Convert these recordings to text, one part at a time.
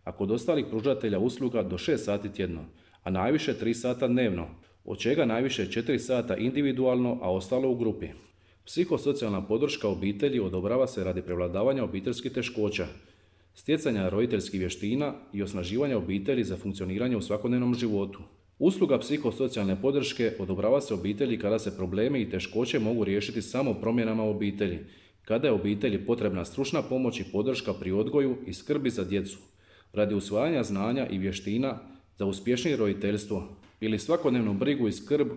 a kod ostalih pružatelja usluga do 6 sati tjedno, a najviše 3 sata dnevno, od čega najviše 4 sata individualno, a ostalo u grupi. Psihosocijalna podrška obitelji odobrava se radi prevladavanja obiteljskih teškoća, stjecanja roditeljskih vještina i osnaživanja obitelji za funkcioniranje u svakodnevnom životu. Usluga psihosocijalne podrške odobrava se obitelji kada se problemi i teškoće mogu riješiti samo promjenama u obitelji, kada je obitelji potrebna stručna pomoć i podrška pri odgoju i skrbi za djecu, radi usvajanja znanja i vještina za uspješnije roditeljstvo ili svakodnevnu brigu i skrb,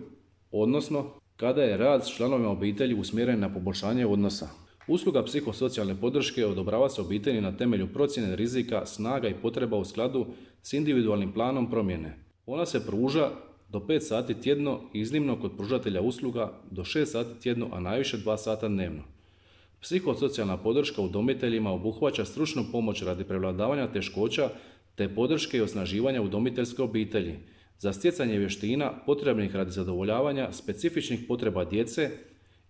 odnosno kada je rad s članovima obitelji usmjeren na poboljšanje odnosa. Usluga psihosocijalne podrške odobrava se obitelji na temelju procjene rizika, snaga i potreba u skladu s individualnim planom promjene. Ona se pruža do 5 sati tjedno, iznimno kod pružatelja usluga do 6 sati tjedno, a najviše 2 sata dnevno. Psihosocijalna podrška udomiteljima obuhvaća stručnu pomoć radi prevladavanja teškoća te podrške i osnaživanja udomiteljske obitelji za stjecanje vještina potrebnih radi zadovoljavanja specifičnih potreba djece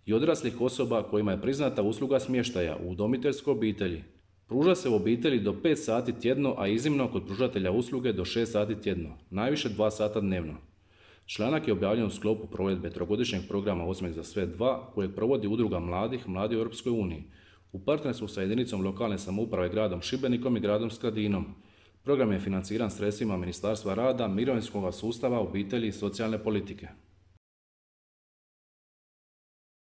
i odraslih osoba kojima je priznata usluga smještaja u udomiteljskoj obitelji. Pruža se u obitelji do 5 sati tjedno, a iznimno kod pružatelja usluge do 6 sati tjedno, najviše 2 sata dnevno. Članak je objavljen u sklopu provedbe trogodišnjeg programa Osmijeh za sve 2, kojeg provodi Udruga mladih, Mladi u Europskoj uniji, u partnerstvu sa jedinicom lokalne samouprave gradom Šibenikom i gradom Skradinom. Program je financiran sredstvima Ministarstva rada, mirovinskog sustava, obitelji i socijalne politike.